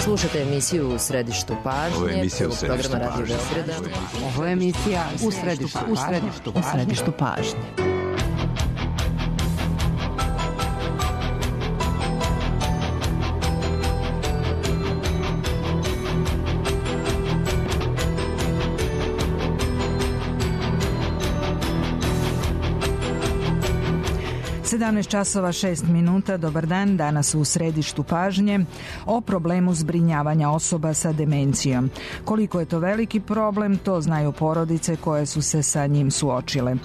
Slušajte emisiju U središtu pažnje. Ovo je emisija U središtu programa Radio pažnje. Beograda. Ovo je emisija U središtu pažnje. časova 6 minuta, dobar dan, danas u središtu pažnje o problemu zbrinjavanja osoba sa demencijom. Koliko je to veliki problem, to znaju porodice koje su se sa njim suočile.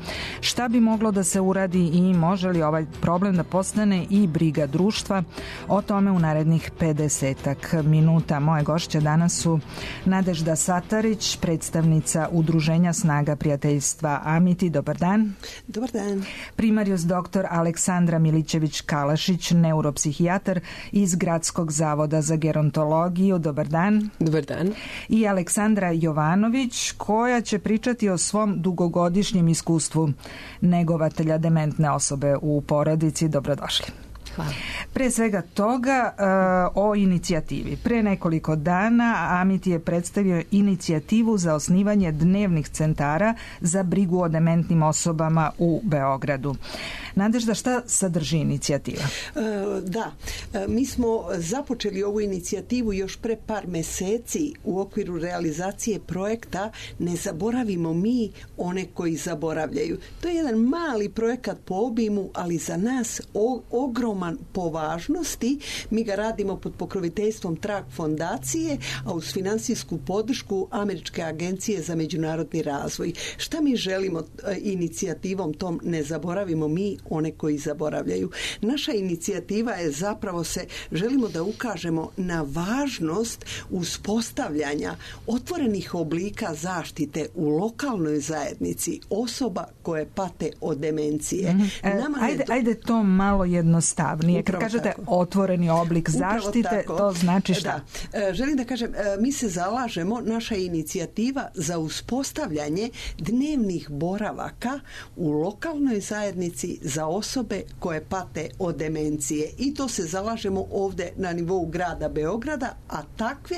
Šta bi moglo da se uradi i može li ovaj problem da postane i briga društva? O tome u narednih 50 minuta. Moje gošće danas su Nadežda Satarić, predstavnica Udruženja Snaga prijateljstva Amiti. Dobar dan. Dobar dan. Primarius dr. Aleksandra Milićević-Kalašić, neuropsihijatar iz Gradskog zavoda za gerontologiju. Dobar dan. Dobar dan. I Aleksandra Jovanović, koja će pričati o svom dugogodišnjem iskustvu negovatelja dementne osobe u porodici. Dobrodošli. Hvala. Pre svega toga o inicijativi. Pre nekoliko dana Amiti je predstavio inicijativu za osnivanje dnevnih centara za brigu o dementnim osobama u Beogradu. Nadežda, šta sadrži inicijativa? Mi smo započeli ovu inicijativu još pre par meseci u okviru realizacije projekta Ne zaboravimo mi one koji zaboravljaju. To je jedan mali projekat po obimu, ali za nas ogroman po važnosti. Mi ga radimo pod pokroviteljstvom Trag fondacije, a uz finansijsku podršku Američke agencije za međunarodni razvoj. Šta mi želimo inicijativom tom Ne zaboravimo mi one koji zaboravljaju? Naša inicijativa je zapravo želimo da ukažemo na važnost uspostavljanja otvorenih oblika zaštite u lokalnoj zajednici osoba koje pate od demencije. Ajde to malo jednostavnije. Kad kažete tako. Otvoreni oblik zaštite, to znači šta? Da. Želim da kažem, mi se zalažemo, naša inicijativa za uspostavljanje dnevnih boravaka u lokalnoj zajednici za osobe koje pate od demencije. I to se zalažemo ovdje na nivou grada Beograda, a takve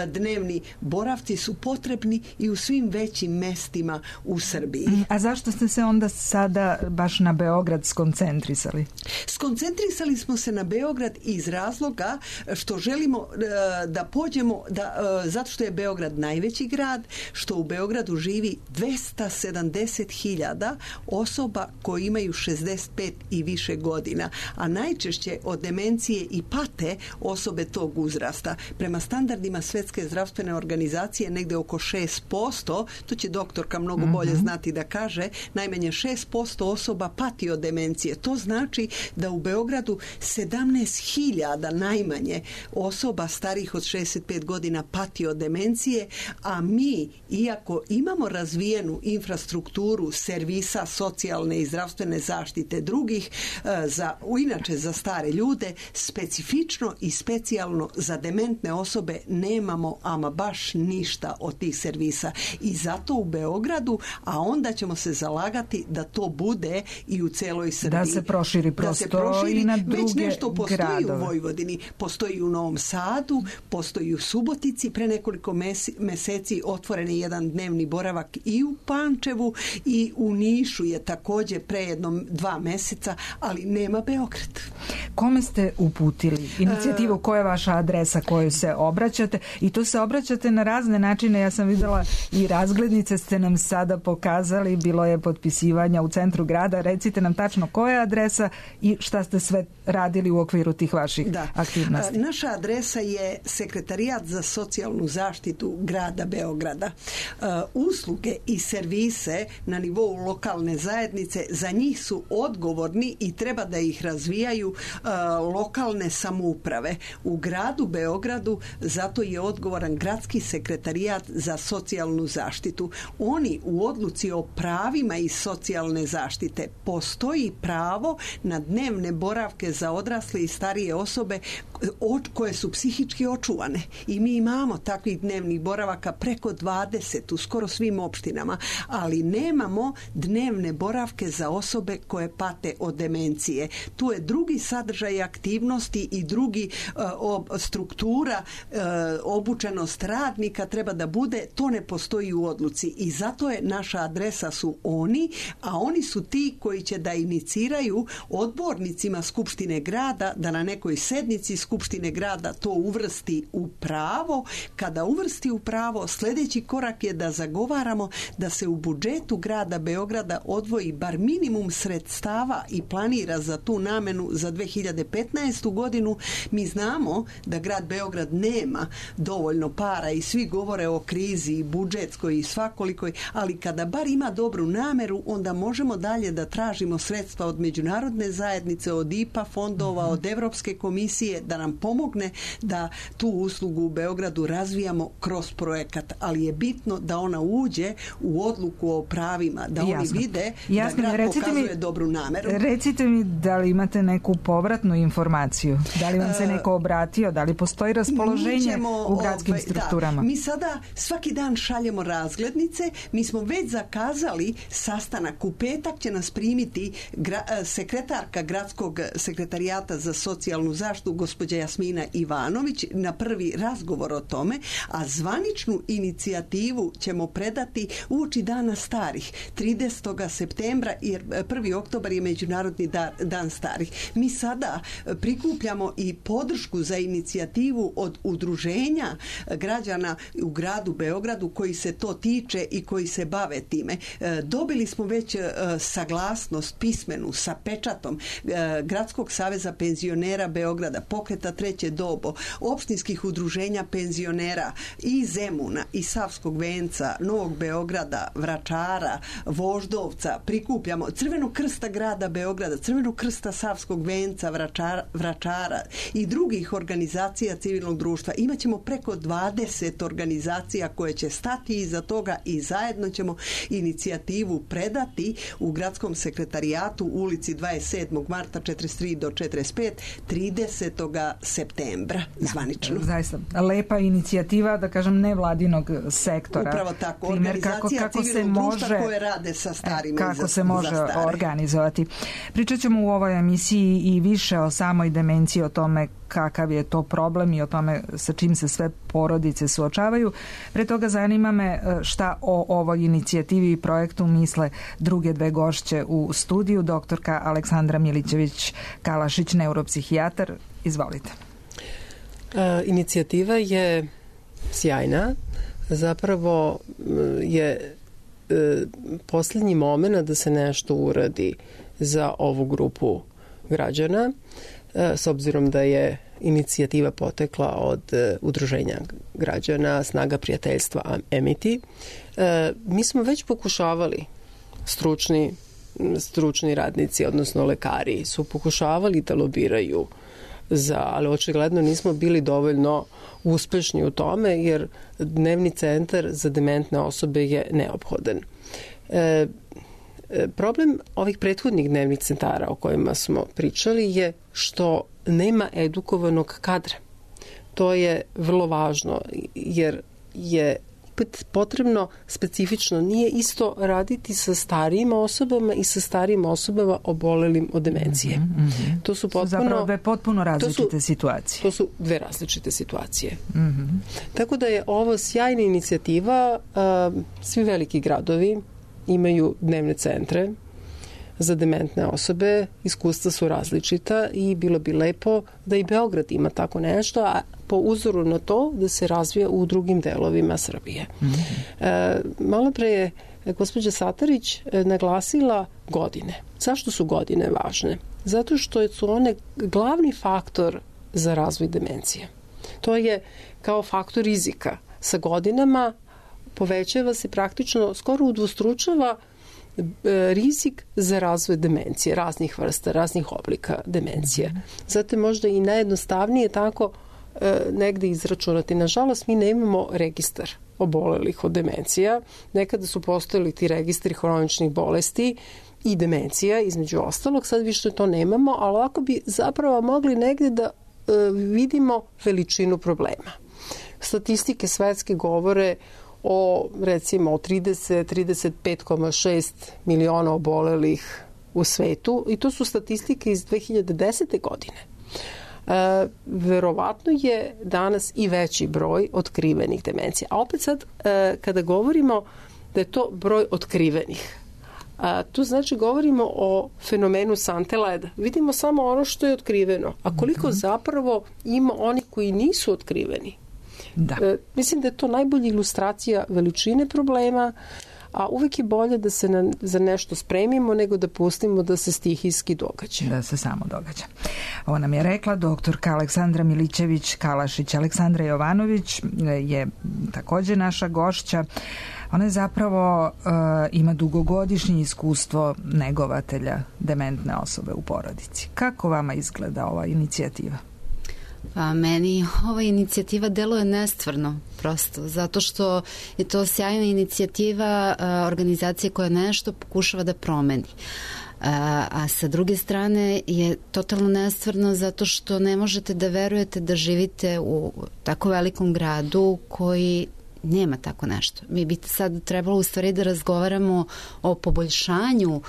dnevni boravci su potrebni i u svim većim mestima u Srbiji. A zašto ste se onda sada baš na Beograd skoncentrisali? Skoncentrisali smo se na Beograd iz razloga što želimo da pođemo, zato što je Beograd najveći grad, što u Beogradu živi 270.000 osoba koji imaju 65 i više godina, a najčešće od demencije i pate osobe tog uzrasta. Prema standardima Svjetske zdravstvene organizacije negde oko 6%, to će doktorka mnogo bolje znati da kaže, najmanje 6% osoba pati od demencije. To znači da u Beogradu 17.000 najmanje osoba starih od 65 godina pati od demencije, a mi, iako imamo razvijenu infrastrukturu servisa socijalne i zdravstvene zaštite drugih, inače za stare ljude, specifično i specijalno za dementne osobe nemamo ama baš ništa od tih servisa. I zato u Beogradu, a onda ćemo se zalagati da to bude i u celoj Srbiji. Da se proširi prosto i na druge već nešto postoji gradove. U Vojvodini, postoji u Novom Sadu, postoji u Subotici, pre nekoliko meseci otvoren je jedan dnevni boravak i u Pančevu i u Nišu je također pre 2 meseca, ali nema Beograd. Kome ste uputili inicijativu? Koja je vaša adresa koju se obraćate? I to se obraćate na razne načine. Ja sam videla i razglednice ste nam sada pokazali, bilo je potpisivanja u centru grada. Recite nam tačno koja je adresa i šta ste sve radili u okviru tih vaših aktivnosti. Naša adresa je Sekretarijat za socijalnu zaštitu grada Beograda. Usluge i servise na nivou lokalne zajednice, za njih su odgovorni i treba da ih razvijaju lokalne samouprave. U gradu Beogradu zato je odgovoran Gradski sekretarijat za socijalnu zaštitu. Oni u odluci o pravima iz socijalne zaštite postoji pravo na dnevne boravke za odrasle i starije osobe koje su psihički očuvane. I mi imamo takvih dnevnih boravaka preko 20 u skoro svim opštinama, ali nemamo dnevne boravke za osobe koje pate od demencije. Tu je drugi sadržaj sadržaj aktivnosti i drugi struktura, obučenost radnika treba da bude, to ne postoji u odluci i zato je naša adresa su oni, a oni su ti koji će da iniciraju odbornicima Skupštine grada da na nekoj sednici Skupštine grada to uvrsti u pravo. Kada uvrsti u pravo, sljedeći korak je da zagovaramo da se u budžetu grada Beograda odvoji bar minimum sredstava i planira za tu namenu za 2015. godinu. Mi znamo da grad Beograd nema dovoljno para i svi govore o krizi i budžetskoj i svakolikoj, ali kada bar ima dobru nameru, onda možemo dalje da tražimo sredstva od međunarodne zajednice, od IPA fondova, od Evropske komisije da nam pomogne da tu uslugu u Beogradu razvijamo kroz projekat, ali je bitno da ona uđe u odluku o pravima, da oni vide da grad pokazuje dobru nameru. Recite mi da li imate neku povratnu informaciju, da li vam se neko obratio, da li postoji raspoloženje u gradskim strukturama? Mi sada svaki dan šaljemo razglednice, mi smo već zakazali sastanak, u petak će nas primiti sekretarka gradskog sekretarijata za socijalnu zaštitu gospođa Jasmina Ivanović na prvi razgovor o tome, a zvaničnu inicijativu ćemo predati uoči dana starih 30. septembra, jer 1. oktobar je Međunarodni dan starih. Mi sada prikupljamo i podršku za inicijativu od udruženja građana u gradu Beogradu koji se to tiče i koji se bave time. Dobili smo već saglasnost pismenu sa pečatom Gradskog saveza penzionera Beograda, Pokreta Treće dobo, opštinskih udruženja penzionera i Zemuna i Savskog venca, Novog Beograda, Vračara, Voždovca. Prikupljamo Crvenog krsta grada Beograda, Crvenog krsta Savskog venca, Vračara i drugih organizacija civilnog društva. Imaćemo preko 20 organizacija koje će stati iza toga i zajedno ćemo inicijativu predati u gradskom sekretarijatu u ulici 27. marta 43 do 45 30. septembra zvanično. Zaista lepa inicijativa, da kažem, nevladinog sektora. Upravo tako, organizacija civilnog društva koje rade sa starima. Kako se može organizovati. Pričat ćemo u ovoj emisiji i više o samoj demenciji, o tome kakav je to problem i o tome sa čim se sve porodice suočavaju. Pre toga zanima me šta o ovoj inicijativi i projektu misle druge dve gošće u studiju. Doktorka Aleksandra Milićević-Kalašić, neuropsihijatar. Izvolite. Inicijativa je sjajna. Zapravo je posljednji moment da se nešto uradi za ovu grupu građana, s obzirom da je inicijativa potekla od udruženja građana Snaga prijateljstva Amity. Mi smo već pokušavali, stručni radnici, odnosno lekari, su pokušavali da lobiraju ali očigledno nismo bili dovoljno uspešni u tome, jer dnevni centar za dementne osobe je neophodan. Problem ovih prethodnih dnevnih centara o kojima smo pričali je što nema edukovanog kadra. To je vrlo važno, jer je potrebno specifično, nije isto raditi sa starijim osobama i sa starijim osobama obolelim od demencije. To su zapravo dve potpuno različite situacije. To su dve različite situacije. Tako da je ovo sjajna inicijativa. Svi veliki gradovi imaju dnevne centre za dementne osobe, iskustva su različita i bilo bi lepo da i Beograd ima tako nešto, a po uzoru na to da se razvija u drugim delovima Srbije. Malo pre je gospođa Satarić naglasila godine. Zašto su godine važne? Zato što su one glavni faktor za razvoj demencije. To je kao faktor rizika. Sa godinama povećava se praktično, skoro udvostručava rizik za razvoj demencije, raznih vrsta, raznih oblika demencije. Zato je možda i najjednostavnije tako negde izračunati. Nažalost, mi nemamo registar obolelih od demencija. Nekada su postojali ti registri hroničnih bolesti i demencija, između ostalog. Sad više to nemamo, ali ovako bi zapravo mogli negde da vidimo veličinu problema. Statistike svetske govore o recimo 30-35,6 miliona obolelih u svetu i to su statistike iz 2010. godine. Verovatno je danas i veći broj otkrivenih demencija. A opet sad, kada govorimo da je to broj otkrivenih, tu znači govorimo o fenomenu sante leda. Vidimo samo ono što je otkriveno. A koliko zapravo ima onih koji nisu otkriveni? Da. Mislim da je to najbolja ilustracija veličine problema, a uvek je bolje da se za nešto spremimo nego da pustimo da se stihijski događa. Da se samo događa. Ovo nam je rekla doktorka Aleksandra Milićević-Kalašić. Aleksandra Jovanović je također naša gošća. Ona je zapravo ima dugogodišnje iskustvo negovatelja dementne osobe u porodici. Kako vama izgleda ova inicijativa? Pa meni ova inicijativa deluje nestvarno prosto, zato što je to sjajna inicijativa organizacije koja nešto pokušava da promeni. A sa druge strane je totalno nestvarno zato što ne možete da verujete da živite u tako velikom gradu koji nema tako nešto. Mi bi sad trebalo u stvari da razgovaramo o poboljšanju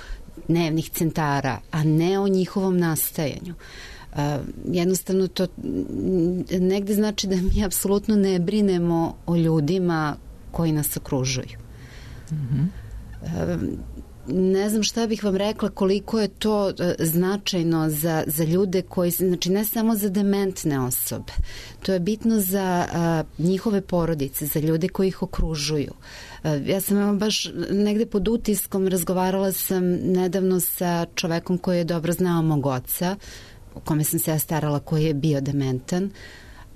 dnevnih centara, a ne o njihovom nastajanju. Jednostavno to negde znači da mi apsolutno ne brinemo o ljudima koji nas okružuju. Ne znam šta bih vam rekla koliko je to značajno za ljude koji, znači ne samo za dementne osobe, to je bitno za njihove porodice, za ljude koji ih okružuju. Ja sam baš negde pod utiskom, razgovarala sam nedavno sa čovekom koji je dobro znao mog oca, o kome sam se ja starala, koji je bio dementan,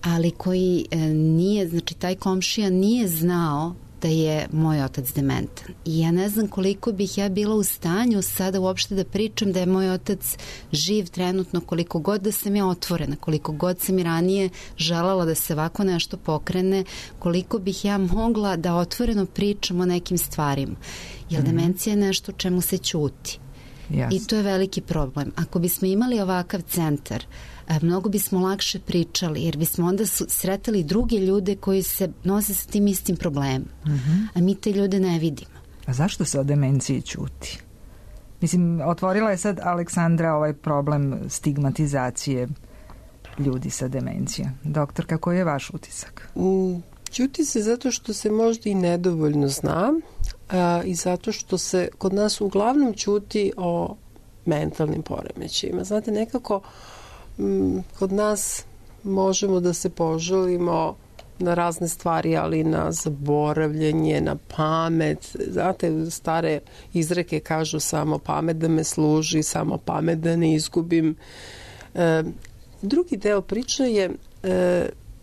ali koji nije, znači taj komšija nije znao da je moj otac dementan. I ja ne znam koliko bih ja bila u stanju sada uopšte da pričam da je moj otac živ trenutno, koliko god da sam ja otvorena, koliko god sam i ranije želala da se ovako nešto pokrene, koliko bih ja mogla da otvoreno pričam o nekim stvarima. Jer demencija je nešto o čemu se ćuti. Yes. I to je veliki problem. Ako bismo imali ovakav centar, mnogo bismo lakše pričali, jer bismo onda sretali druge ljude koji se nose sa tim istim problemom. A mi te ljude ne vidimo. A zašto se o demenciji ćuti? Mislim, otvorila je sad Aleksandra ovaj problem stigmatizacije ljudi sa demencijom. Doktorka, koji je vaš utisak? Ćuti se zato što se možda i nedovoljno zna i zato što se kod nas uglavnom ćuti o mentalnim poremećajima. Znate, nekako kod nas možemo da se požalimo na razne stvari, ali na zaboravljanje, na pamet. Znate, stare izreke kažu samo pamet da me služi, samo pamet da ne izgubim. Drugi deo priče je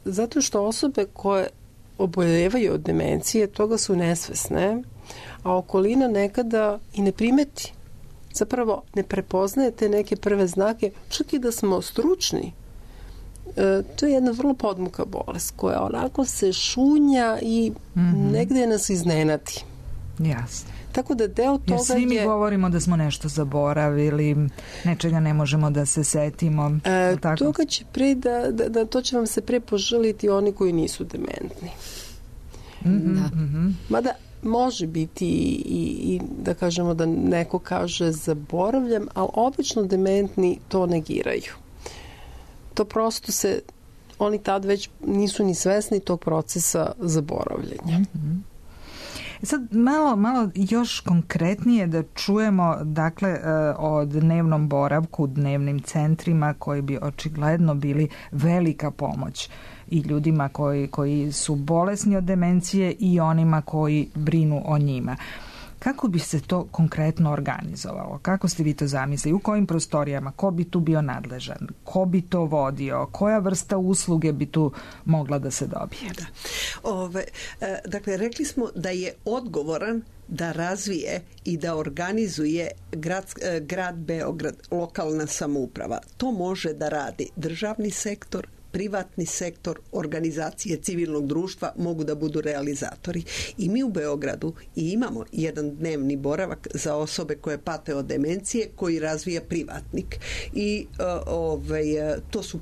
zato što osobe koje oboljevaju od demencije, toga su nesvesne, a okolina nekada i ne primeti. Zapravo ne prepoznaje te neke prve znake, čak i da smo stručni. To je jedna vrlo podmuka bolest koja onako se šunja i negde nas iznenadi. Jasno. Tako da deo toga jer svi mi govorimo da smo nešto zaboravili, nečega ne možemo da se setimo. Toga će to će vam se pre požaliti oni koji nisu dementni. Mada može biti i da kažemo da neko kaže zaboravljam, ali obično dementni to negiraju. To prosto oni tad već nisu ni svesni tog procesa zaboravljanja. Sad malo još konkretnije da čujemo dakle o dnevnom boravku, dnevnim centrima koji bi očigledno bili velika pomoć i ljudima koji su bolesni od demencije i onima koji brinu o njima. Kako bi se to konkretno organizovalo? Kako ste vi to zamislili? U kojim prostorijama? Ko bi tu bio nadležan? Ko bi to vodio? Koja vrsta usluge bi tu mogla da se dobije? Dakle, rekli smo da je odgovoran da razvije i da organizuje grad Beograd, lokalna samouprava. To može da radi državni sektor, privatni sektor, organizacije civilnog društva mogu da budu realizatori. I mi u Beogradu imamo jedan dnevni boravak za osobe koje pate od demencije koji razvija privatnik. I to su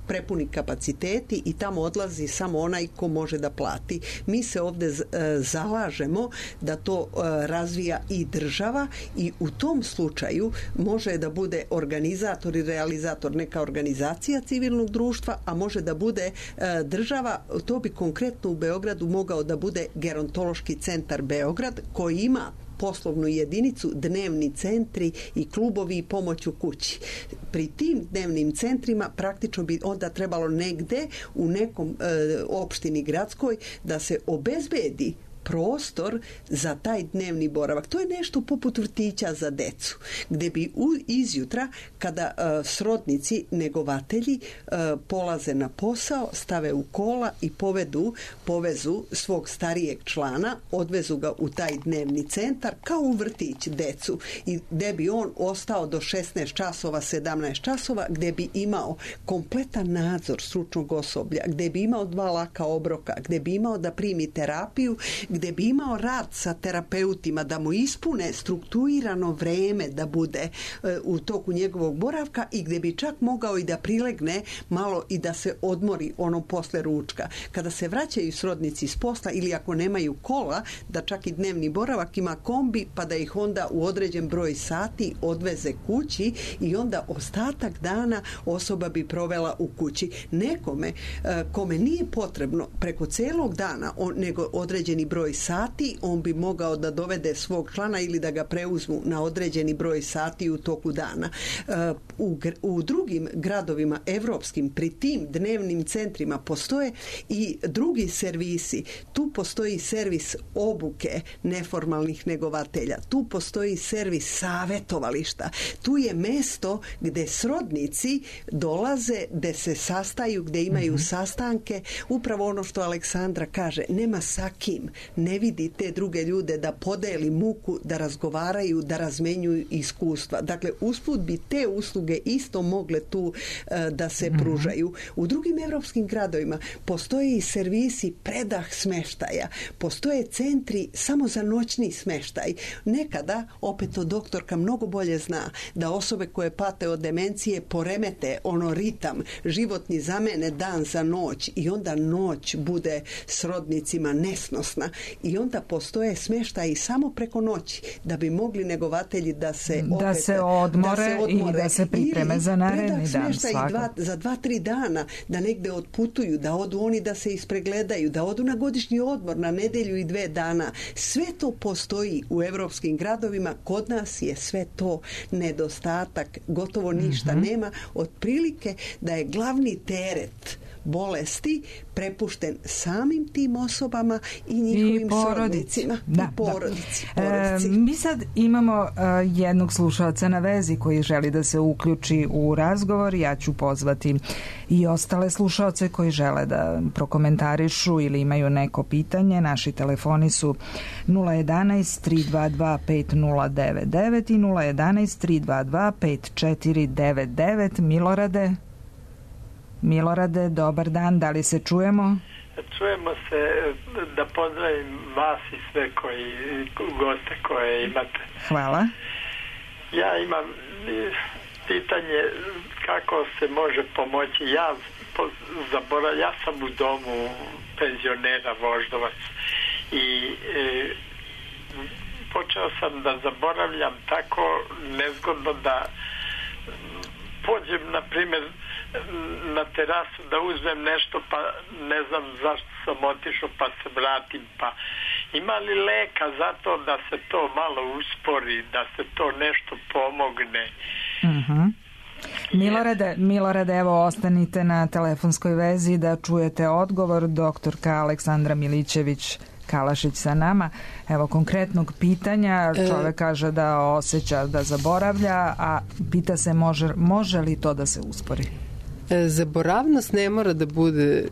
prepuni kapaciteti i tamo odlazi samo onaj ko može da plati. Mi se ovdje zalažemo da to razvija i država i u tom slučaju može da bude organizator i realizator neka organizacija civilnog društva, a može da bude država. To bi konkretno u Beogradu mogao da bude Gerontološki centar Beograd koji ima poslovnu jedinicu, dnevni centri i klubovi i pomoć u kući. Pri tim dnevnim centrima praktično bi onda trebalo negde u nekom opštini gradskoj da se obezbedi prostor za taj dnevni boravak. To je nešto poput vrtića za decu, gdje bi izjutra kada srodnici, negovatelji polaze na posao, stave u kola i povezu svog starijeg člana, odvezu ga u taj dnevni centar kao u vrtić decu i gdje bi on ostao do 16 časova, 17 časova, gdje bi imao kompletan nadzor stručnog osoblja, gdje bi imao 2 laka obroka, gdje bi imao da primi terapiju, gdje bi imao rad sa terapeutima da mu ispune strukturirano vreme da bude u toku njegovog boravka i gdje bi čak mogao i da prilegne malo i da se odmori ono posle ručka. Kada se vraćaju srodnici s posla ili ako nemaju kola, da čak i dnevni boravak ima kombi pa da ih onda u određen broj sati odveze kući i onda ostatak dana osoba bi provela u kući. Nekome kome nije potrebno preko celog dana nego određeni broj sati, on bi mogao da dovede svog člana ili da ga preuzmu na određeni broj sati u toku dana. U drugim gradovima evropskim pri tim dnevnim centrima postoje i drugi servisi. Tu postoji servis obuke neformalnih negovatelja. Tu postoji servis savetovališta. Tu je mesto gde srodnici dolaze, gde se sastaju, gde imaju sastanke. Upravo ono što Aleksandra kaže, nema sa kim, ne vidi te druge ljude da podeli muku, da razgovaraju, da razmenjuju iskustva. Dakle, usput bi te usluge isto mogle tu da se pružaju. U drugim evropskim gradovima postoje i servisi predah smeštaja. Postoje centri samo za noćni smeštaj. Nekada, opet to doktorka mnogo bolje zna, da osobe koje pate od demencije poremete ono ritam, životni zamene dan za noć i onda noć bude srodnicima nesnosna i onda postoje smeštaji samo preko noći da bi mogli negovatelji da se odmore i da se pripreme za naredni dan. Za 2-3 dana da negde otputuju, da odu oni da se ispregledaju, da odu na godišnji odmor na nedelju i 2 dana. Sve to postoji u evropskim gradovima. Kod nas je sve to nedostatak. Gotovo ništa nema. Otprilike da je glavni teret bolesti prepušten samim tim osobama i njihovim srodnicima i porodici. Mi sad imamo jednog slušalca na vezi koji želi da se uključi u razgovor. Ja ću pozvati i ostale slušalce koji žele da prokomentarišu ili imaju neko pitanje. Naši telefoni su 011 322 5099 i 011 322 5499. Milorade, dobar dan, da li se čujemo? Čujemo se, da pozdravim vas i sve goste koje imate. Hvala. Ja imam pitanje kako se može pomoći. Ja sam u domu penzionera Voždovac i počeo sam da zaboravljam tako nezgodno da pođem, na primjer, na terasu da uzmem nešto pa ne znam zašto sam otišao pa se vratim, pa ima li leka za to da se to malo uspori, da se to nešto pomogne? Milorade, evo ostanite na telefonskoj vezi da čujete odgovor. Doktorka Aleksandra Milićević Kalašić sa nama. Evo konkretnog pitanja. Čovek kaže da osjeća da zaboravlja, a pita se može li to da se uspori? Zaboravnost ne mora da bude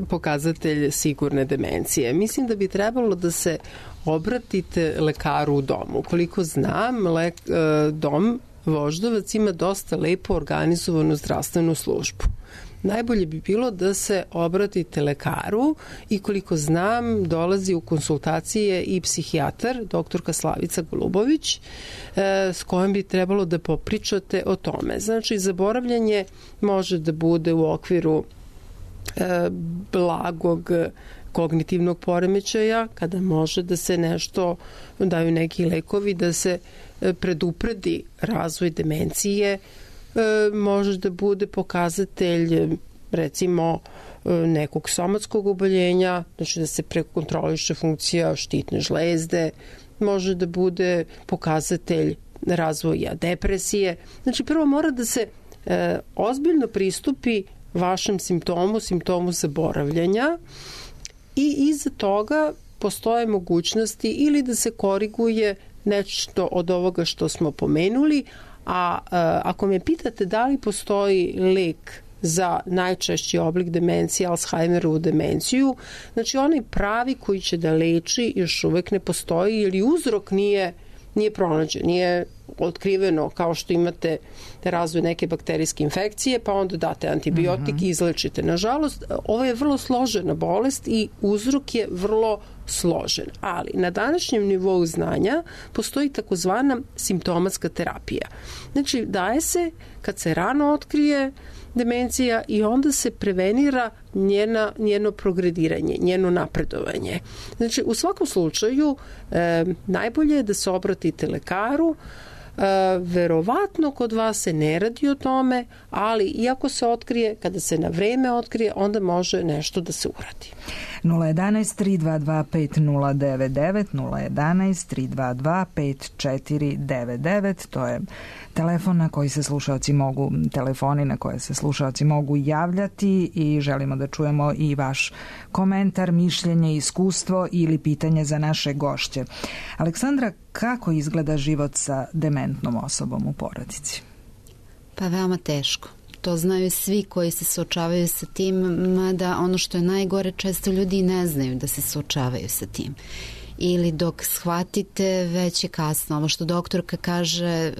pokazatelj sigurne demencije. Mislim da bi trebalo da se obratite lekaru u domu. Koliko znam, dom Voždovac ima dosta lepo organizovanu zdravstvenu službu. najbolje bi bilo da se obratite lekaru i koliko znam dolazi u konsultacije i psihijatar, doktorka Slavica Golubović, s kojom bi trebalo da popričate o tome. Znači, zaboravljanje može da bude u okviru blagog kognitivnog poremećaja, kada može da se nešto, daju neki lekovi da se predupredi razvoj demencije, može da bude pokazatelj recimo nekog somatskog oboljenja, znači da se prekontroliše funkcija štitne žlezde, može da bude pokazatelj razvoja depresije. Znači prvo mora da se ozbiljno pristupi vašem simptomu zaboravljanja i iza toga postoje mogućnosti ili da se koriguje nešto od ovoga što smo pomenuli, a ako me pitate da li postoji lek za najčešći oblik demencije, Alzheimerovu demenciju, znači onaj pravi koji će da leči još uvek ne postoji ili uzrok nije pronađen, nije otkriveno kao što imate razvoj neke bakterijske infekcije, pa onda date antibiotik i izlečite. Nažalost, ovo je vrlo složena bolest i uzrok je vrlo složen. Ali na današnjem nivou znanja postoji takozvana simptomatska terapija. Znači, daje se kad se rano otkrije demencija i onda se prevenira njeno progrediranje, njeno napredovanje. Znači, u svakom slučaju najbolje je da se obratite lekaru. Verovatno kod vas se ne radi o tome, ali iako se otkrije, kada se na vreme otkrije, onda može nešto da se uradi. 011-322-5099, 011-322-5499, to je telefoni na koje se slušaoci mogu javljati i želimo da čujemo i vaš komentar, mišljenje, iskustvo ili pitanje za naše gošće. Aleksandra, kako izgleda život sa dementnom osobom u porodici? Pa veoma teško. To znaju svi koji se suočavaju sa tim, mada ono što je najgore, često ljudi ne znaju da se suočavaju sa tim. Ili dok shvatite, već je kasno. Ovo što doktorka kaže,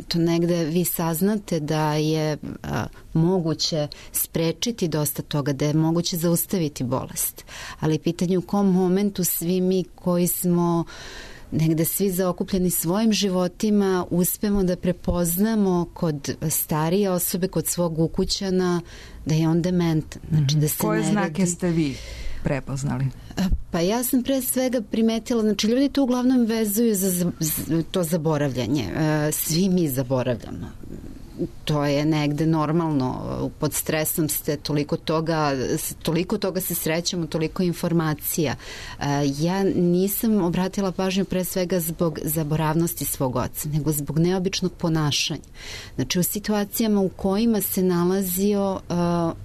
to negde vi saznate da je moguće sprečiti dosta toga, da je moguće zaustaviti bolest. Ali pitanje u kom momentu svi mi koji smo negde svi zaokupljeni svojim životima uspemo da prepoznamo kod starije osobe, kod svog ukućana, da je on dementan. Znači, da se koje znake ste vi prepoznali? Pa ja sam pre svega primetila, znači ljudi to uglavnom vezuju za to zaboravljanje. Svi mi zaboravljamo. To je negde normalno, pod stresom ste, toliko toga se srećemo, toliko informacija. Ja nisam obratila pažnju pre svega zbog zaboravnosti svog oca, nego zbog neobičnog ponašanja. Znači u situacijama u kojima se nalazio,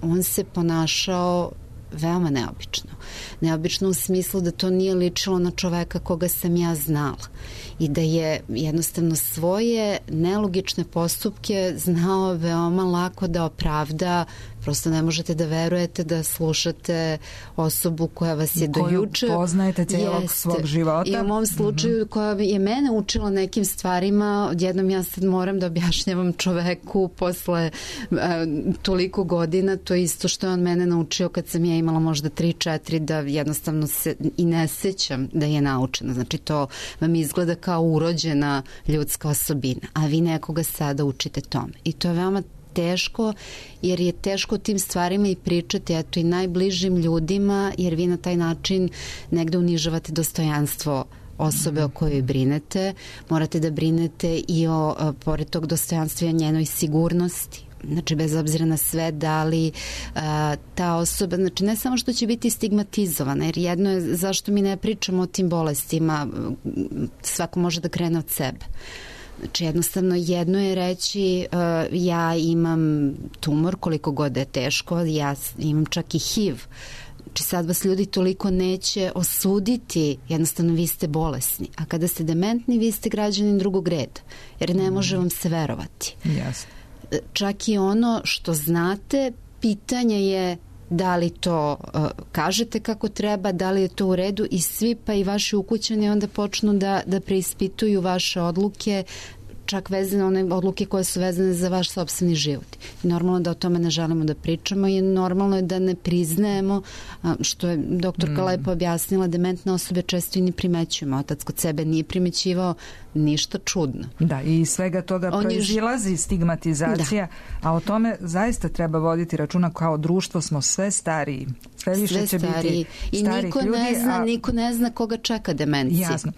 on se ponašao veoma neobično. Neobično u smislu da to nije ličilo na čoveka koga sam ja znala i da je jednostavno svoje nelogične postupke znao veoma lako da opravda. Prosto ne možete da verujete da slušate osobu koja vas je do juče... Koju poznajete cijelog svog života. I u mom slučaju koja je mene učila nekim stvarima, odjednom ja sad moram da objašnjavam čoveku posle toliko godina, to je isto što je on mene naučio kad sam ja imala možda 3-4, da jednostavno se i ne sećam da je naučena. Znači to vam izgleda kao urođena ljudska osobina, a vi nekoga sada učite tome. I to je veoma teško, jer je teško tim stvarima i pričati, eto, i najbližim ljudima, jer vi na taj način negde unižavate dostojanstvo osobe o kojoj brinete. Morate da brinete i o, pored tog dostojanstva, i o njenoj sigurnosti. Znači, bez obzira na sve, da li ta osoba, znači ne samo što će biti stigmatizovana, jer jedno je zašto mi ne pričamo o tim bolestima, svako može da krene od sebe. Znači, jednostavno, jedno je reći ja imam tumor, koliko god da je teško, ja imam čak i HIV. Znači, sad vas ljudi toliko neće osuditi, jednostavno vi ste bolesni. A kada ste dementni, vi ste građanin drugog reda, jer ne može vam se verovati. Jasno. Čak i ono što znate, pitanje je da li to kažete kako treba, da li je to u redu, i svi, pa i vaši ukućani onda počnu da preispituju vaše odluke, čak vezane one odluke koje su vezane za vaš sopstveni život. I normalno da o tome ne želimo da pričamo i normalno je da ne priznajemo, što je doktorka lepo objasnila, dementne osobe često i ne primećujemo. Otac kod sebe nije primećivao ništa čudno. Da, i svega toga proizilazi stigmatizacija, a o tome zaista treba voditi računa. Kao društvo smo sve stariji. Sve više će biti starih ljudi. I niko ne zna koga čeka demencija. Jasno.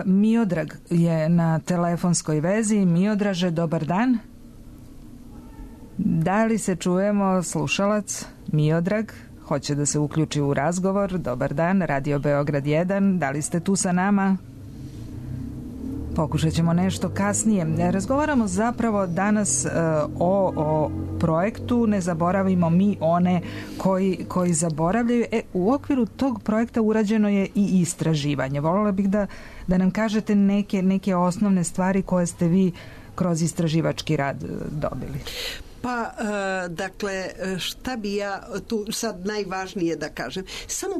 Miodrag je na telefonskoj vezi. Miodraže, dobar dan. Da li se čujemo, slušalac? Miodrag hoće da se uključi u razgovor. Dobar dan, Radio Beograd 1. Da li ste tu sa nama? Pokušat ćemo nešto kasnije. Razgovaramo zapravo danas o projektu Ne zaboravimo mi one koji zaboravljaju. U okviru tog projekta urađeno je i istraživanje. Voljela bih da nam kažete neke osnovne stvari koje ste vi kroz istraživački rad dobili. Pa, dakle, šta bi ja tu sad najvažnije da kažem? Samo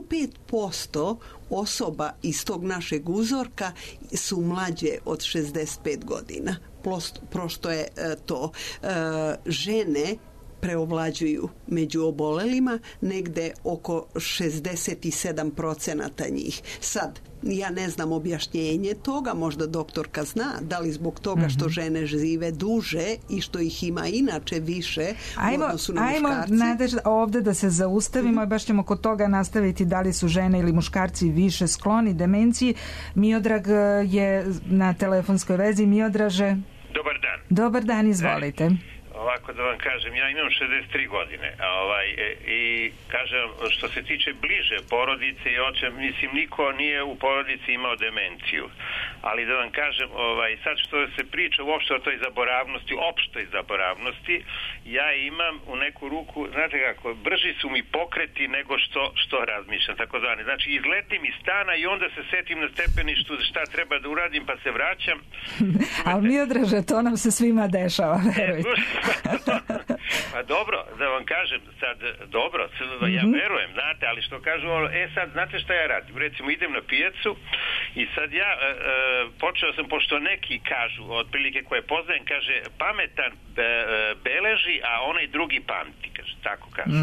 5% osoba iz tog našeg uzorka su mlađe od 65 godina. Prosto je to. Žene preovlađuju među obolelima, negde oko 67% njih. Sad, ja ne znam objašnjenje toga, možda doktorka zna, da li zbog toga što žene žive duže i što ih ima inače više u odnosu na muškarci. Ajmo, Nadežda, ovde da se zaustavimo i baš ćemo kod toga nastaviti da li su žene ili muškarci više skloni demenciji. Miodrag je na telefonskoj vezi. Miodraže. Dobar dan. Dobar dan, izvolite. Ovako da vam kažem, ja imam 63 godine i kažem, što se tiče bliže porodice i očem, mislim, niko nije u porodici imao demenciju, ali da vam kažem, sad što se priča uopšte o toj zaboravnosti, opštoj zaboravnosti, ja imam u neku ruku, znate kako, brži su mi pokreti nego što razmišljam, takozvani. Znači, izletim iz stana i onda se setim na stepeništu šta treba da uradim, pa se vraćam. Ali Miodraže, to nam se svima dešava, verujte. Pa dobro, da vam kažem sad, dobro, ja verujem, znate, ali što kažu, sad, znate šta ja radim? Recimo, idem na pijacu i sad ja počeo sam, pošto neki kažu, otprilike koje poznajem, kaže, pametan beleži, a onaj drugi pamti, kaže, tako kaže.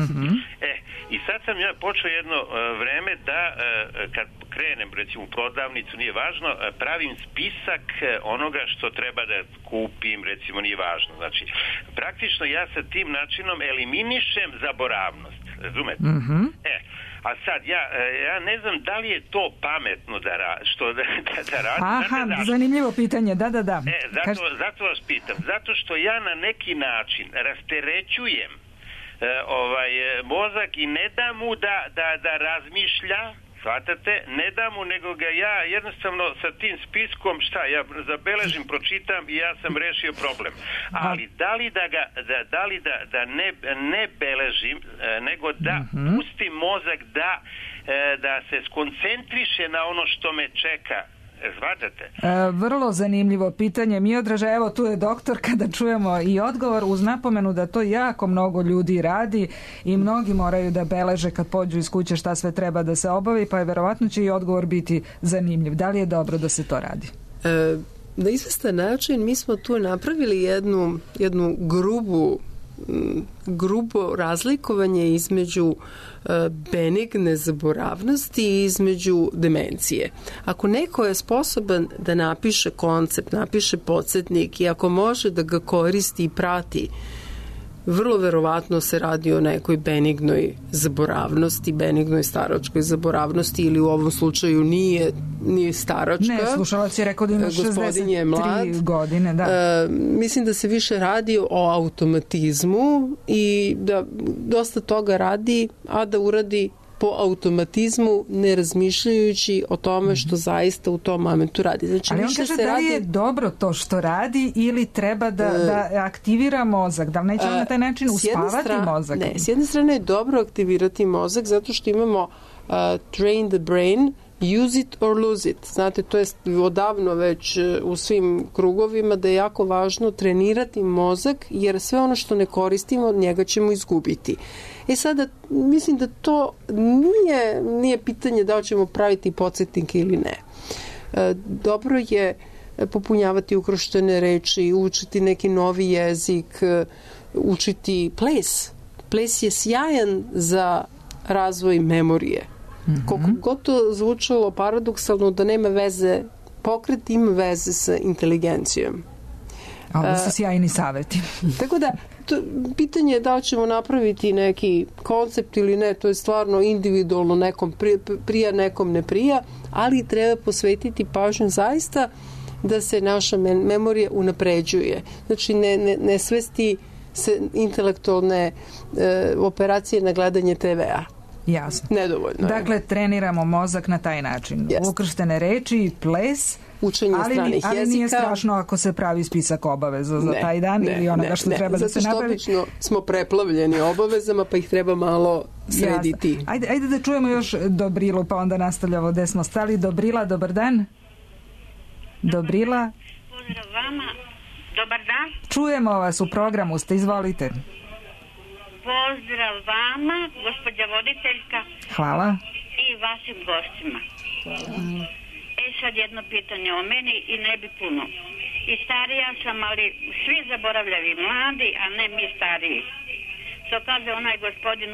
I sad sam ja počeo jedno vreme da, kad krenem, recimo, u prodavnicu, nije važno, pravim spisak onoga što treba da kupim, recimo, nije važno. Znači, praktično ja sa tim načinom eliminišem zaboravnost, razumete? A sad, ja ne znam da li je to pametno da radim. Aha, zanimljivo pitanje, da. Zato vas pitam, zato što ja na neki način rasterećujem mozak i ne dam mu da razmišlja, shvatate, ne dam mu, nego ga ja jednostavno sa tim spiskom, ja zabeležim, pročitam i ja sam rešio problem. Ali da li da ne beležim, nego da pustim mozak da se skoncentriše na ono što me čeka. Shvatate? Vrlo zanimljivo pitanje. Miodraže, evo tu je doktorka da čujemo i odgovor, uz napomenu da to jako mnogo ljudi radi i mnogi moraju da beleže kad pođu iz kuće šta sve treba da se obavi, pa je verovatno će i odgovor biti zanimljiv. Da li je dobro da se to radi? Na izvestan način mi smo tu napravili jednu grubo razlikovanje između benigne zaboravnosti i između demencije. Ako neko je sposoban da napiše koncept, napiše podsjetnik i ako može da ga koristi i prati, vrlo verovatno se radi o nekoj benignoj zaboravnosti, benignoj staračkoj zaboravnosti, ili u ovom slučaju nije staračka. Ne, slušalac je rekao da ima 63 godine. Da. Mislim da se više radi o automatizmu i da dosta toga radi, a da uradi po automatizmu, ne razmišljajući o tome što zaista u tom momentu radi. Znači, ali on kaže da li je dobro to što radi ili treba da aktivira mozak, da li neće na taj način uspavati mozak? Ne, s jedne strane je dobro aktivirati mozak zato što imamo train the brain, use it or lose it. Znate, to je odavno već u svim krugovima da je jako važno trenirati mozak, jer sve ono što ne koristimo, od njega ćemo izgubiti. Sada, mislim da to nije pitanje da li ćemo praviti podsjetnike ili ne. Dobro je popunjavati ukrštene reči, učiti neki novi jezik, učiti ples. Ples je sjajan za razvoj memorije. Koliko god to zvučalo paradoksalno da nema veze, pokret ima veze sa inteligencijom. Ovo su sjajni savjeti. Tako da, pitanje je da li ćemo napraviti neki koncept ili ne, to je stvarno individualno, nekom prija, nekom ne prija, ali treba posvetiti pažnju zaista da se naša memorija unapređuje. Znači, ne svesti se intelektualne operacije na gledanje TV-a. Jasno. Nedovoljno. Dakle, treniramo mozak na taj način. Yes. Ukrštene reči, ples, učenje stranih jezika. Ali nije strašno ako se pravi spisak obaveza za taj dan ili onoga što treba da se napravi. Zato što obično smo preplavljeni obavezama, pa ih treba malo srediti. Ajde da čujemo još Dobrilu, pa onda nastavljamo gde smo stali. Dobrila, dobar dan. Dobrila. Pozdrav vama. Dobar dan. Čujemo vas, u programu ste, izvolite. Pozdrav vama, gospođa voditeljka. Hvala. I vašim gostima. Sad jedno pitanje o meni i ne bi puno. I starija sam, ali svi zaboravljavi mladi, a ne mi stariji. Što kaže onaj gospodin,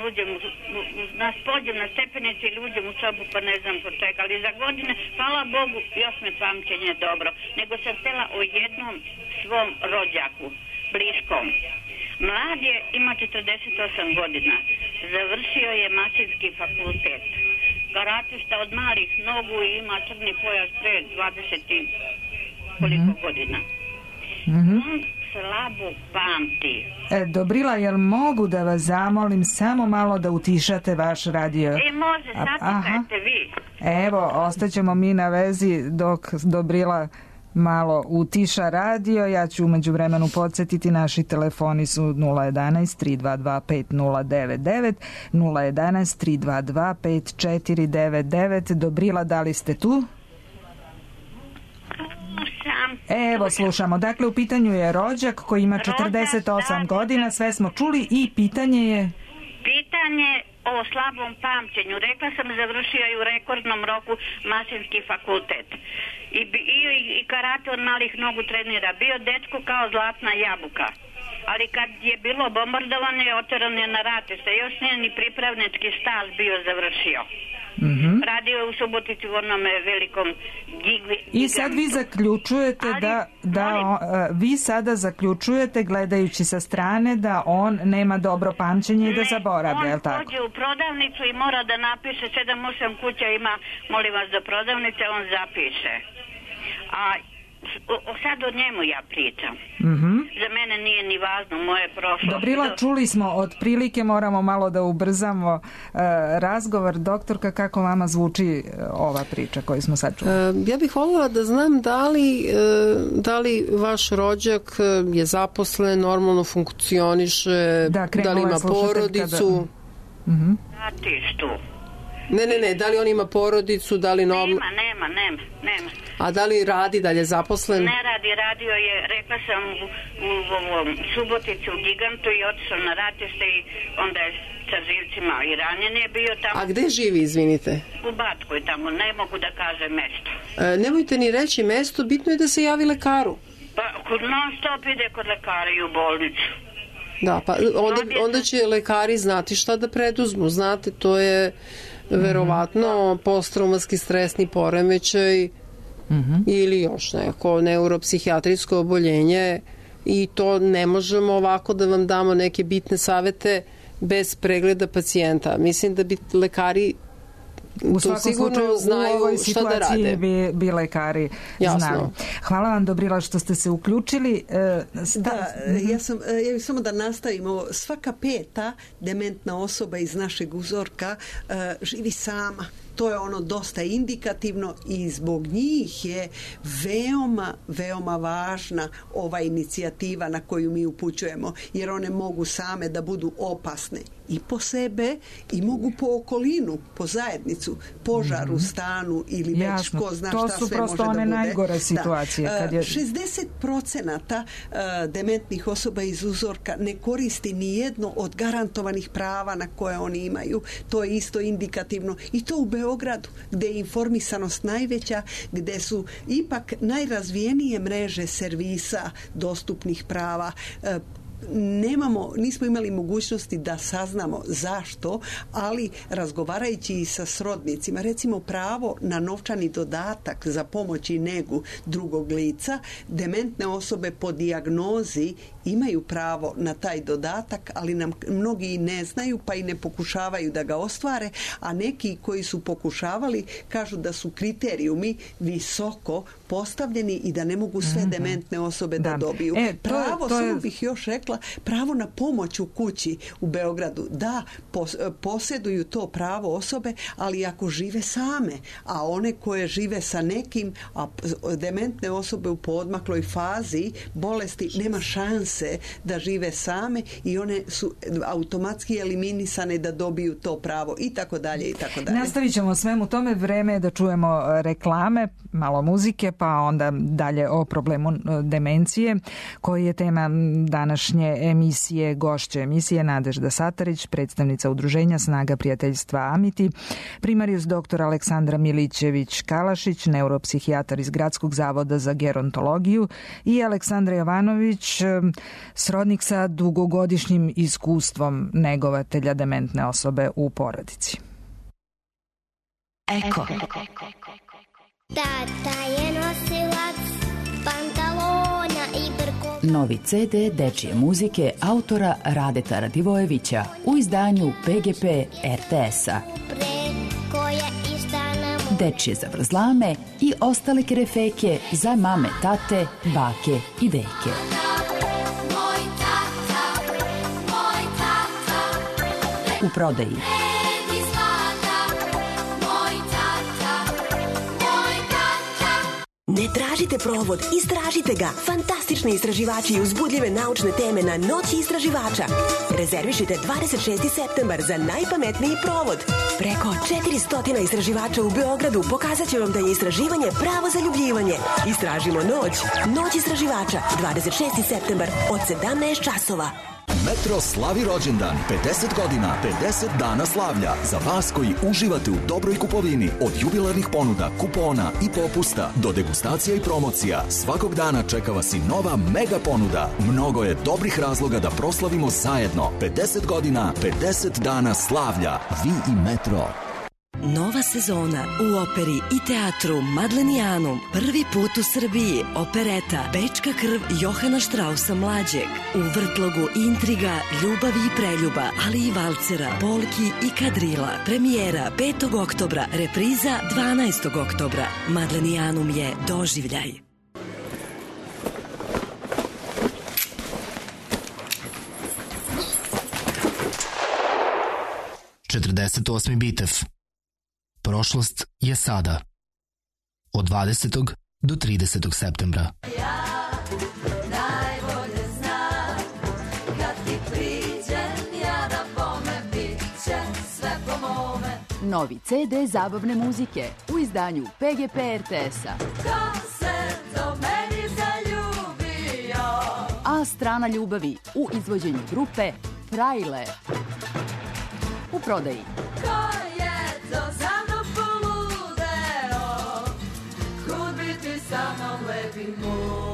nas pođem na stepenici ili uđem u sobu, pa ne znam po čega, ali za godine, hvala Bogu, još me pamćenje dobro. Nego sam htjela o jednom svom rođaku, bliskom. Mlad je, ima 48 godina. Završio je mašinski fakultet. Karatista od malih nogu i ima crni pojas pre 20 i koliko godina. On slabo pamti. Dobrila, jel mogu da vas zamolim samo malo da utišate vaš radio? Može, sačekajte vi. Evo, ostaćemo mi na vezi dok Dobrila malo utiša radio. Ja ću umeđu vremenu podsjetiti, naši telefoni su 011 322 5099, 011 322 5499. Dobrila, da li ste tu? Evo, slušamo. Dakle, u pitanju je rođak koji ima 48 godina, sve smo čuli i pitanje je... Pitanje o slabom pamćenju. Rekla sam, završio je u rekordnom roku mašinski fakultet. I karate od malih nogu trenira. Bio dečko kao zlatna jabuka. Ali kad je bilo bombardovanje, oteran je na ratište. Još nije ni pripravnički staž bio završio. Radio je u Subotici u onome velikom gigantu. I sad vi zaključujete vi sada zaključujete, gledajući sa strane, da on nema dobro pamćenje i da zaboravlja, je li tako? On pođe u prodavnicu i mora da napiše 7-8 kuća ima, molim vas, do prodavnice, on zapiše. A sad o njemu ja pričam. Za mene nije ni važno, moje prošlo. Dobrila, čuli smo, otprilike moramo malo da ubrzamo razgovor. Doktorka, kako vama zvuči ova priča koju smo sad čuli? Ja bih voljela da znam da li vaš rođak je zaposlen, normalno funkcioniše, da li ima porodicu. Ratištu. Ne, da li on ima porodicu, da li nema. A da li radi, da li je zaposlen? Ne radi, radio je, rekla sam u Subotici u gigantu i otišao na ratište i onda je sa živcima i ranjen je bio tamo. A gde živi, izvinite? U Batkoj tamo, ne mogu da kažem mesto. Nemojte ni reći mesto, bitno je da se javi lekaru. Pa non stop ide kod lekara i u bolnicu. Da, pa onda će lekari znati šta da preduzmu, znate, to je verovatno posttraumatski stresni poremećaj ili još neko neuropsihijatrijsko oboljenje i to ne možemo ovako da vam damo neke bitne savete bez pregleda pacijenta. Mislim da bi lekari u svakom slučaju u ovoj situaciji bi lekari znali. Hvala vam, Dobrila, što ste se uključili. Ja bih samo da nastavimo. Svaka peta dementna osoba iz našeg uzorka živi sama. To je ono dosta indikativno i zbog njih je veoma važna ova inicijativa na koju mi upućujemo, jer one mogu same da budu opasne i po sebe i mogu po okolinu, po zajednicu, požar u stanu ili već ko zna šta sve može da bude. To su prosto one najgore situacije. 60% dementnih osoba iz uzorka ne koristi ni jedno od garantovanih prava na koje oni imaju. To je isto indikativno i to u Beogradu Beogradu, gde je informisanost najveća, gde su ipak najrazvijenije mreže servisa dostupnih prava. Nismo imali mogućnosti da saznamo zašto, ali razgovarajući i sa srodnicima, recimo pravo na novčani dodatak za pomoć i negu drugog lica, dementne osobe po dijagnozi imaju pravo na taj dodatak, ali nam mnogi i ne znaju pa i ne pokušavaju da ga ostvare, a neki koji su pokušavali kažu da su kriterijumi visoko postavljeni i da ne mogu sve dementne osobe da dobiju. Pravo, samo bih još rekla, pravo na pomoć u kući u Beogradu, da posjeduju to pravo osobe, ali ako žive same, a one koje žive sa nekim, a dementne osobe u poodmakloj fazi bolesti, nema šanse da žive same i one su automatski eliminisane da dobiju to pravo i tako dalje i tako dalje. Nastavit ćemo svemu tome, vreme je da čujemo reklame, malo muzike, pa onda dalje o problemu demencije, koji je tema današnje emisije. Gošće emisije Nadežda Satarić, predstavnica udruženja Snaga prijateljstva Amiti, primarijus dr. Aleksandra Milićević-Kalašić, neuropsihijatar iz Gradskog zavoda za gerontologiju, i Aleksandra Jovanović, srodnik sa dugogodišnjim iskustvom negovatelja dementne osobe u porodici. Eko. Tata je nosilac pantalona i brko. Novi CD dečije muzike autora Radeta Radivojevića u izdanju PGP RTS-a. Dečije zavrzlame i ostale kerefeke za mame, tate, bake i deke. U prodaji. Ne tražite provod, istražite ga. Fantastični istraživači i uzbudljive naučne teme na Noći istraživača. Rezervišite 26. septembar za najpametniji provod. Preko 400 istraživača u Beogradu pokazat će vam da je istraživanje pravo zaljubljivanje. Istražimo noć. Noć istraživača, 26. septembar od 17 časova. Metro slavi rođendan, 50 godina, 50 dana slavlja. Za vas koji uživate u dobroj kupovini, od jubilarnih ponuda, kupona i popusta do degustacija i promocija, svakog dana čeka vas i nova mega ponuda. Mnogo je dobrih razloga da proslavimo zajedno. 50 godina, 50 dana slavlja. Vi i Metro. Nova sezona u operi i teatru Madlenijanum. Prvi put u Srbiji opereta Bečka krv Johana Štrausa mlađeg. U vrtlogu intriga, ljubavi i preljuba, ali i valcera, polki i kadrila. Premijera 5. oktobra, repriza 12. oktobra. Madlenijanum je doživljaj. ...48. bitev. Prošlost je sada. Od 20. do 30. septembra. Ja najbolje znam, kad ti priđem, ja da bome bit će sve po mome. Novi CD zabavne muzike u izdanju PGP RTS-a. Ko se do meni zaljubio? A strana ljubavi u izvođenju grupe Frajle. U prodaji. Ko je to za mnom poludeo? Kud bi ti sa mnom lepi moj?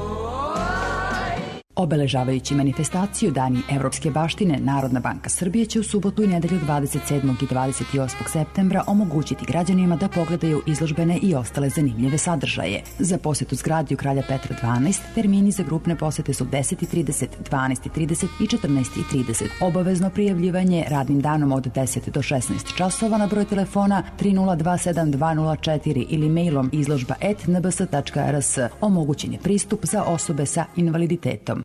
Obeležavajući manifestaciju Dani evropske baštine, Narodna banka Srbije će u subotu i nedelju 27. i 28. septembra omogućiti građanima da pogledaju izložbene i ostale zanimljive sadržaje. Za posjetu zgradi u Kralja Petra 12 termini za grupne posete su 10:30, 12:30 i 14:30. Obavezno prijavljivanje radnim danom od 10 do 16 časova na broj telefona 3027204 ili mailom izložba@nbs.rs. Omogućen je pristup za osobe sa invaliditetom.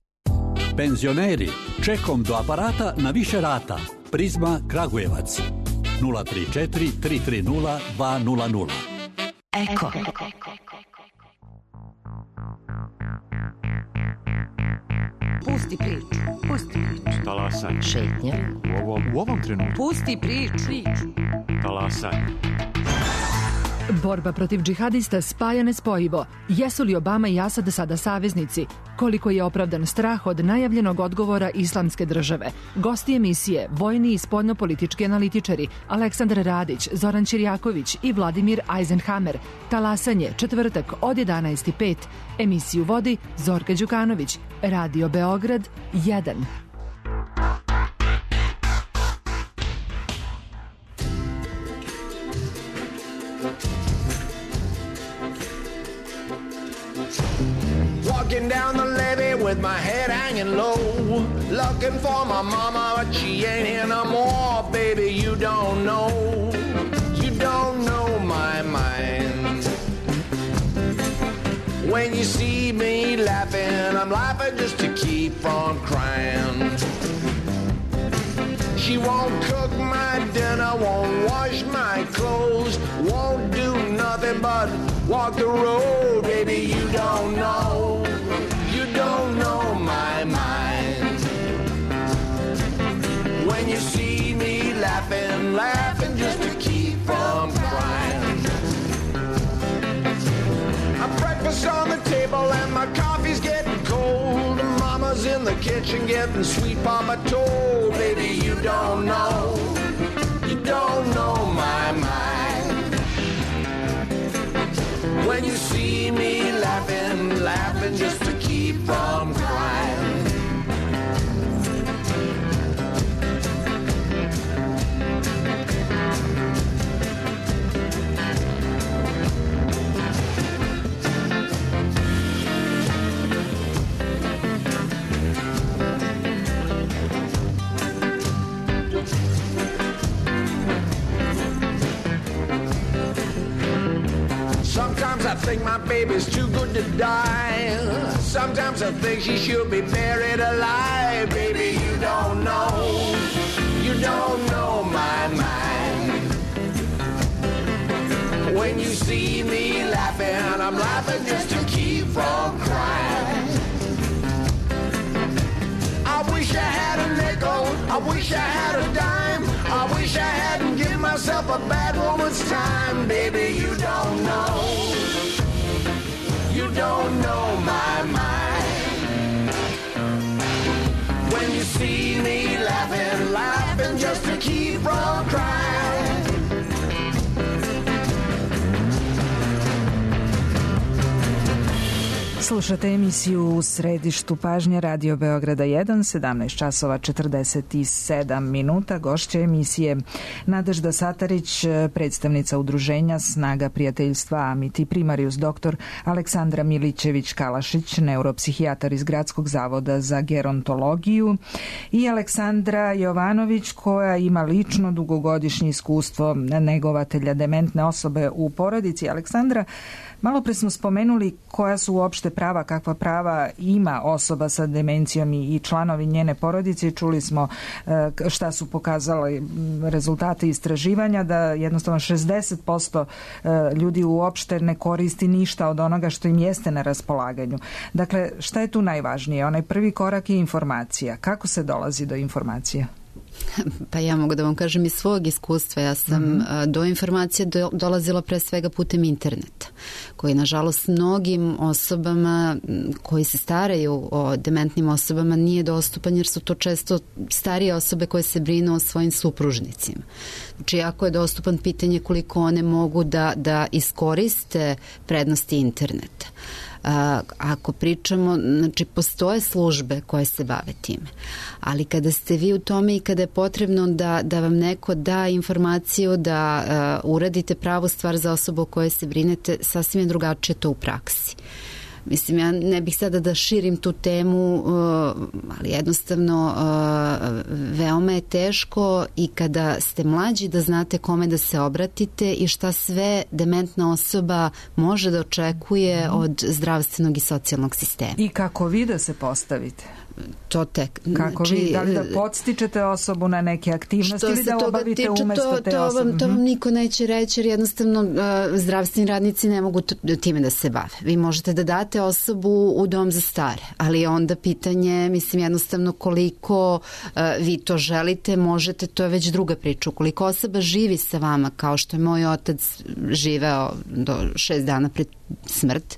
Penzioneri, čekom do aparata na više rata. Prizma Kragujevac 034 330 200. Eko. Pusti priču, pusti priču. Talasanje. Šetnje. U ovom trenutku. Pusti priču. Talasanje. Borba protiv džihadista spaja nespojivo. Jesu li Obama i Asad sada saveznici? Koliko je opravdan strah od najavljenog odgovora Islamske države? Gosti emisije, vojni i spoljnopolitički analitičari Aleksandar Radić, Zoran Ćirjaković i Vladimir Eisenhammer. Talasanje, četvrtak od 11:05. Emisiju vodi Zorka Đukanović. Radio Beograd 1. Walking down the levee with my head hanging low, looking for my mama, but she ain't here no more. Baby, you don't know my mind. When you see me laughing, I'm laughing just to keep from crying. She won't cook my dinner, won't wash my clothes, won't do nothing but walk the road. Baby, you don't know my mind. When you see me laughing, laughing just to keep from crying. Breakfast on the table and my coffee's getting cold. Mama's in the kitchen getting sweet Papa told. Baby, you don't know my mind. When you see me laughing, laughing just to keep from crying. Sometimes I think my baby's too good to die. Sometimes I think she should be buried alive. Baby, you don't know my mind. When you see me laughing, I'm laughing just to keep from crying. I wish I had a nickel, I wish I had a dime, I wish I hadn't given myself a bad woman's time. Baby, you don't know my mind. When you see me laughing, laughing just to keep from crying. Slušate emisiju U središtu pažnje Radio Beograda 1, 17 časova 47 minuta. Gošća emisije Nadežda Satarić, predstavnica udruženja Snaga prijateljstva Amiti, primarius doktor Aleksandra Milićević-Kalašić, neuropsihijatar iz Gradskog zavoda za gerontologiju, i Aleksandra Jovanović, koja ima lično dugogodišnje iskustvo negovatelja dementne osobe u porodici. Aleksandra, malo pre smo spomenuli koja su uopšte prava, kakva prava ima osoba sa demencijom i članovi njene porodice. Čuli smo šta su pokazali rezultate istraživanja, da jednostavno 60% ljudi uopšte ne koristi ništa od onoga što im jeste na raspolaganju. Dakle, šta je tu najvažnije? Onaj prvi korak je informacija. Kako se dolazi do informacije? Pa ja mogu da vam kažem iz svog iskustva. Ja sam do informacije dolazila pre svega putem interneta, koji nažalost mnogim osobama koji se staraju o dementnim osobama nije dostupan, jer su to često starije osobe koje se brinu o svojim supružnicima. Znači, jako je dostupan, pitanje koliko one mogu da iskoriste prednosti interneta. Ako pričamo, znači postoje službe koje se bave time, ali kada ste vi u tome i kada je potrebno da vam neko da informaciju, da uradite pravu stvar za osobu o kojoj se brinete, sasvim je drugačije to u praksi. Mislim, ja ne bih sada da širim tu temu, ali jednostavno veoma je teško i kada ste mlađi da znate kome da se obratite i šta sve dementna osoba može da očekuje od zdravstvenog i socijalnog sistema. I kako vi da se postavite? to tek. Kako vi, da li da podstičete osobu na neke aktivnosti ili da obavite umesto te osobe? To vam niko neće reći, jer jednostavno zdravstveni radnici ne mogu time da se bave. Vi možete da date osobu u dom za stare, ali onda pitanje, mislim, jednostavno koliko vi to želite, možete, to je već druga priča. Ukoliko osoba živi sa vama, kao što je moj otac živeo do 6 dana pred smrt,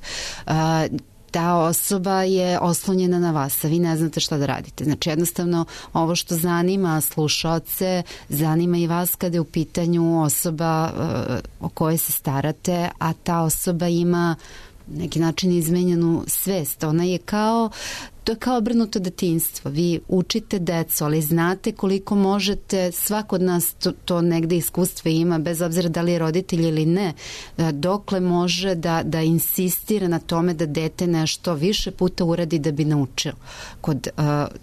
ta osoba je oslonjena na vas, a vi ne znate šta da radite. Znači, jednostavno, ovo što zanima slušaoce, zanima i vas kada je u pitanju osoba o kojoj se starate, a ta osoba ima neki način izmenjenu svest. Ona je kao, to je kao obrnuto detinjstvo. Vi učite decu, ali znate koliko možete, svako od nas to negde iskustvo ima, bez obzira da li je roditelj ili ne, dokle može da insistira na tome da dete nešto više puta uradi da bi naučilo. Kod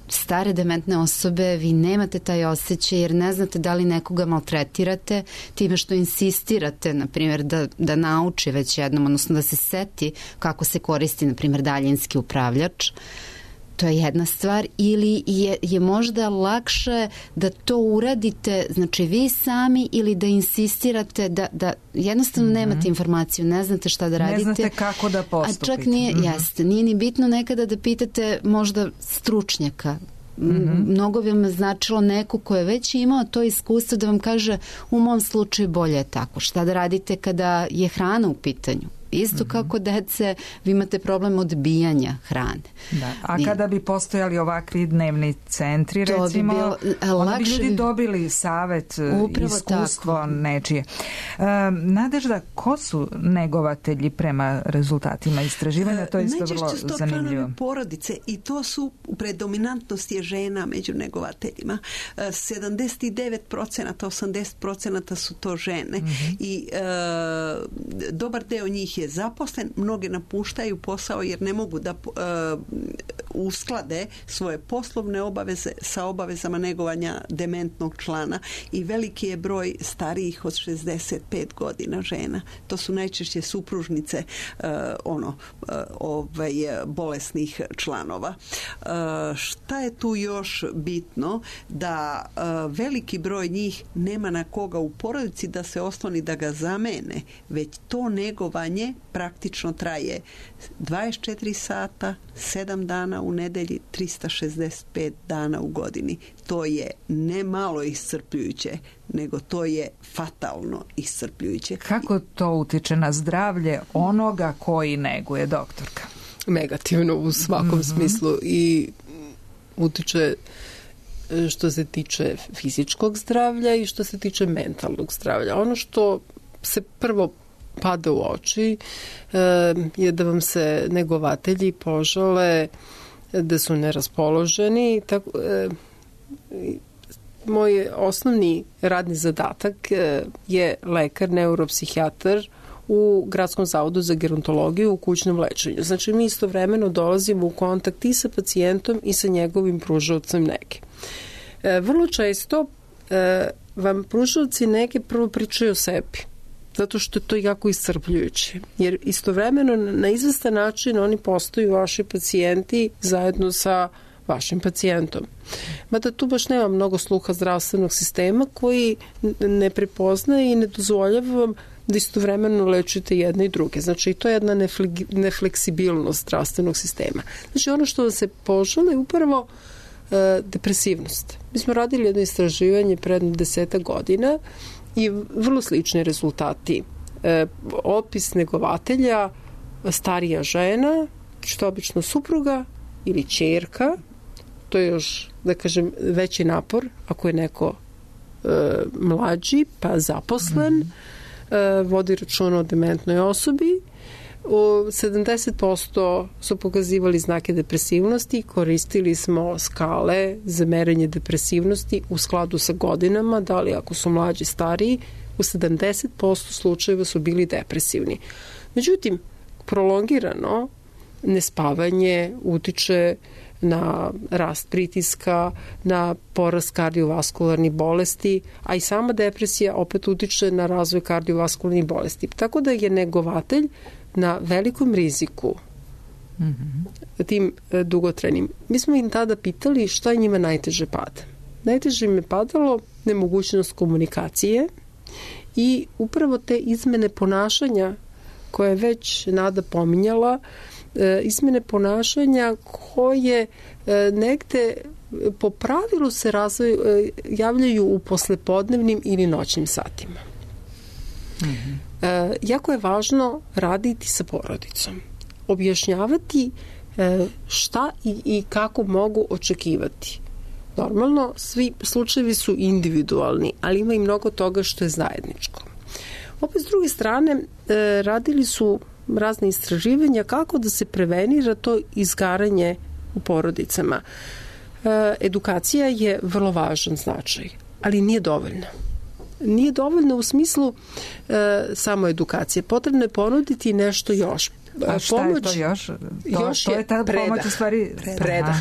stare dementne osobe vi nemate taj osjećaj, jer ne znate da li nekoga maltretirate time što insistirate, na primjer, da nauči već jednom, odnosno da se seti kako se koristi, na primjer, daljinski upravljač. To je jedna stvar, ili je možda lakše da to uradite, znači vi sami, ili da insistirate da jednostavno nemate informaciju, ne znate šta da radite. Ne znate kako da postupite. A čak nije ni bitno nekada da pitate možda stručnjaka. Mnogo bi vam značilo neko ko je već imao to iskustvo da vam kaže u mom slučaju bolje je tako. Šta da radite kada je hrana u pitanju? Isto kako dece, vi imate problem odbijanja hrane. Da. A kada bi postojali ovakvi dnevni centri, recimo, onda bi ljudi dobili savet, iskustvo nečije. Nadežda, ko su negovatelji prema rezultatima istraživanja? To je isto vrlo zanimljivo. Najčešće su to članovi porodice i to su predominantnost je žena među negovateljima. 79%, 80% su to žene i dobar deo njih je zaposlen, mnoge napuštaju posao jer ne mogu da usklade svoje poslovne obaveze sa obavezama negovanja dementnog člana i veliki je broj starijih od 65 godina žena. To su najčešće supružnice bolesnih članova. Šta je tu još bitno? Da veliki broj njih nema na koga u porodici da se osloni da ga zamene, već to negovanje praktično traje 24 sata, 7 dana u nedelji, 365 dana u godini. To je ne malo iscrpljujuće, nego to je fatalno iscrpljujuće. Kako to utiče na zdravlje onoga koji neguje, doktorka? Negativno u svakom smislu i utiče što se tiče fizičkog zdravlja i što se tiče mentalnog zdravlja. Ono što se prvo pada u oči je da vam se negovatelji požale da su neraspoloženi. Moj osnovni radni zadatak je lekar, neuropsihijatar u Gradskom zavodu za gerontologiju u kućnom lečenju. Znači, mi istovremeno dolazimo u kontakt i sa pacijentom i sa njegovim pružaocem nege. Vrlo često vam pružaoci nege prvo pričaju o sebi, zato što je to jako iscrpljujuće. Jer istovremeno na izvestan način oni postaju vaši pacijenti zajedno sa vašim pacijentom. Mada tu baš nema mnogo sluha zdravstvenog sistema koji ne prepoznaje i ne dozvoljava vam da istovremeno lečite jedne i druge. Znači, to je jedna nefleksibilnost zdravstvenog sistema. Znači, ono što vam se požele je upravo depresivnost. Mi smo radili jedno istraživanje pred 10 godina i vrlo slični rezultati. Opis negovatelja, starija žena, što obično supruga ili ćerka, to je još, da kažem, veći napor ako je neko mlađi, pa zaposlen, vodi računa o dementnoj osobi. 70% su pokazivali znake depresivnosti, koristili smo skale za merenje depresivnosti u skladu sa godinama, da li ako su mlađi, stariji, u 70% slučajeva su bili depresivni. Međutim, prolongirano nespavanje utiče na rast pritiska, na porast kardiovaskularnih bolesti, a i sama depresija opet utiče na razvoj kardiovaskularnih bolesti. Tako da je negovatelj na velikom riziku tim dugotrenim. Mi smo im tada pitali šta je njima najteže pada. Najteže im je padalo nemogućnost komunikacije i upravo te izmene ponašanja koje je već Nada pominjala, izmene ponašanja koje negde po pravilu se javljaju u poslepodnevnim ili noćnim satima. Jako je važno raditi sa porodicom. Objašnjavati šta i kako mogu očekivati. Normalno, svi slučajevi su individualni, ali ima i mnogo toga što je zajedničko. Opet, s druge strane, radili su razne istraživanja kako da se prevenira to izgaranje u porodicama. Edukacija je vrlo važan značaj, ali nije dovoljna. Nije dovoljno u smislu samo edukacije. Potrebno je ponuditi nešto još. A šta je to još? To je ta pomoć u stvari... Predah.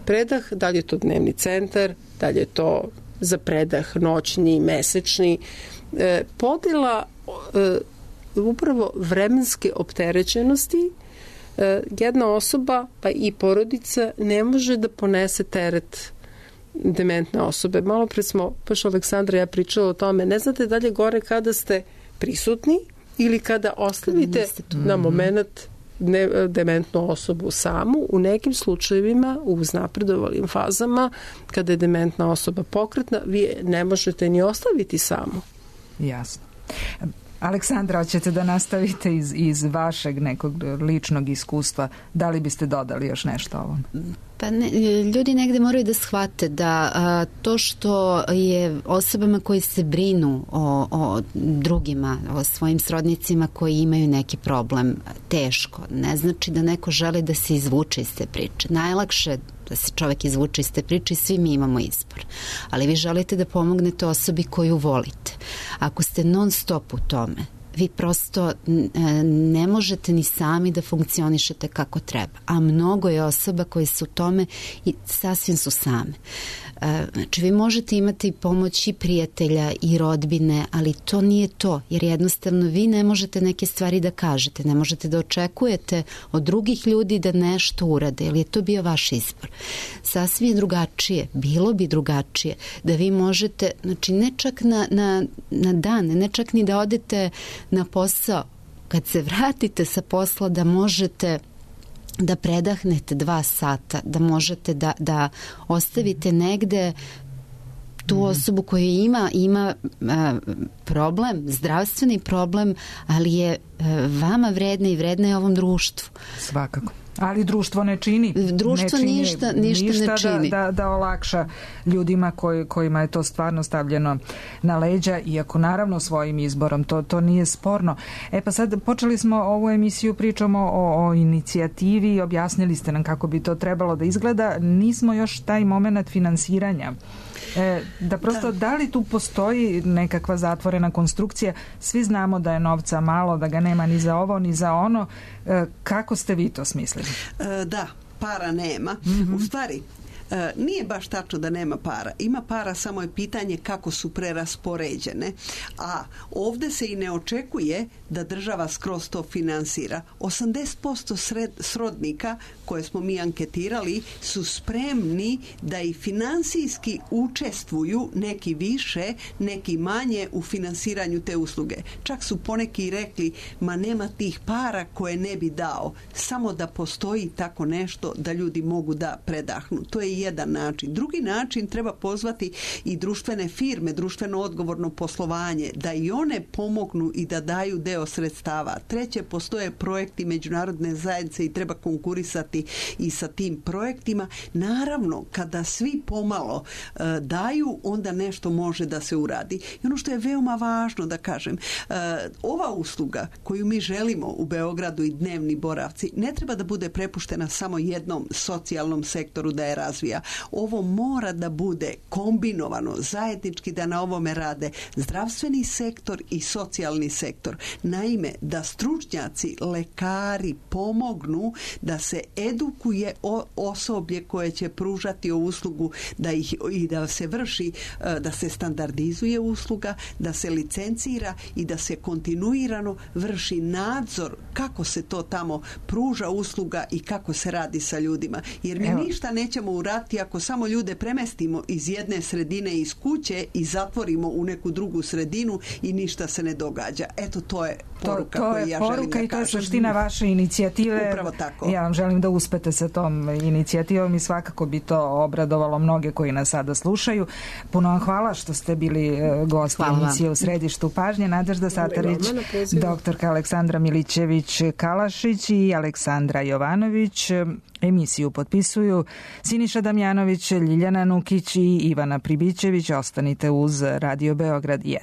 Predah, da li je to dnevni centar, da li je to za predah noćni, mesečni. Podela upravo vremenske opterećenosti. Jedna osoba, pa i porodica, ne može da ponese teret dementne osobe. Malo pre smo, baš Aleksandra i ja pričala o tome, ne znate da li je gore kada ste prisutni ili kada ostavite na moment dementnu osobu samu. U nekim slučajevima, u uznapredovalim fazama, kada je dementna osoba pokretna, vi ne možete ni ostaviti samu. Jasno. Aleksandra, hoćete da nastavite iz vašeg nekog ličnog iskustva? Da li biste dodali još nešto ovom? Pa ne, ljudi negde moraju da shvate da to što je osobama koji se brinu o drugima, o svojim srodnicima koji imaju neki problem teško, ne znači da neko želi da se izvuče iz te priče. Najlakše da se čovek izvuče iz te priče i svi mi imamo izbor. Ali vi želite da pomognete osobi koju volite. Ako ste non stop u tome, vi prosto ne možete ni sami da funkcionišete kako treba. A mnogo je osoba koji su u tome i sasvim su same. Znači, vi možete imati pomoć i prijatelja i rodbine, ali to nije to, jer jednostavno vi ne možete neke stvari da kažete, ne možete da očekujete od drugih ljudi da nešto urade, jer je to bio vaš izbor. Sasvim je drugačije, bilo bi drugačije, da vi možete, znači ne čak na dan, ne čak ni da odete na posao, kad se vratite sa posla da možete da predahnete 2 sata, da možete da ostavite negde tu osobu koja ima problem, zdravstveni problem, ali je vama vredna i vredna je ovom društvu. Svakako. Ali društvo ne čini. Društvo ništa ne čini. Da olakša ljudima kojima je to stvarno stavljeno na leđa, iako naravno svojim izborom, to nije sporno. Pa sad počeli smo ovu emisiju, pričamo o inicijativi i objasnili ste nam kako bi to trebalo da izgleda. Nismo još taj moment finansiranja. Da prosto, da li tu postoji nekakva zatvorena konstrukcija? Svi znamo da je novca malo, da ga nema ni za ovo, ni za ono. Kako ste vi to smislili? Da, para nema. U stvari, nije baš tačno da nema para. Ima para, samo je pitanje kako su preraspoređene. A ovdje se i ne očekuje da država skroz to finansira. 80% srodnika koje smo mi anketirali su spremni da i finansijski učestvuju, neki više, neki manje, u finansiranju te usluge. Čak su poneki rekli, ma nema tih para koje ne bi dao. Samo da postoji tako nešto da ljudi mogu da predahnu. To je jedan način. Drugi način, treba pozvati i društvene firme, društveno odgovorno poslovanje, da i one pomognu i da daju deo sredstava. Treće, postoje projekti međunarodne zajednice i treba konkurisati i sa tim projektima. Naravno, kada svi pomalo daju, onda nešto može da se uradi. I ono što je veoma važno da kažem, ova usluga koju mi želimo u Beogradu i dnevni boravci ne treba da bude prepuštena samo jednom socijalnom sektoru da je razvija. razvija. Ovo mora da bude kombinovano, zajednički da na ovome rade zdravstveni sektor i socijalni sektor. Naime, da stručnjaci, lekari pomognu da se edukuje osoblje koje će pružati uslugu, i da se vrši, da se standardizuje usluga, da se licencira i da se kontinuirano vrši nadzor kako se to tamo pruža usluga i kako se radi sa ljudima. Jer mi ništa nećemo uraditi ako samo ljude premestimo iz jedne sredine, iz kuće i zatvorimo u neku drugu sredinu i ništa se ne događa. Eto, to je poruka koju ja želim da kažem. I to je suština vaše inicijative. Upravo tako. Ja vam želim da uspete sa tom inicijativom i svakako bi to obradovalo mnoge koji nas sada slušaju. Puno vam hvala što ste bili gosti emisije U središtu pažnje. Nadežda Satarić, doktorka Aleksandra Milićević-Kalašić i Aleksandra Jovanović. Emisiju potpisuju Siniša Damjanović, Ljiljana Nukić i Ivana Pribićević. Ostanite uz Radio Beograd 1.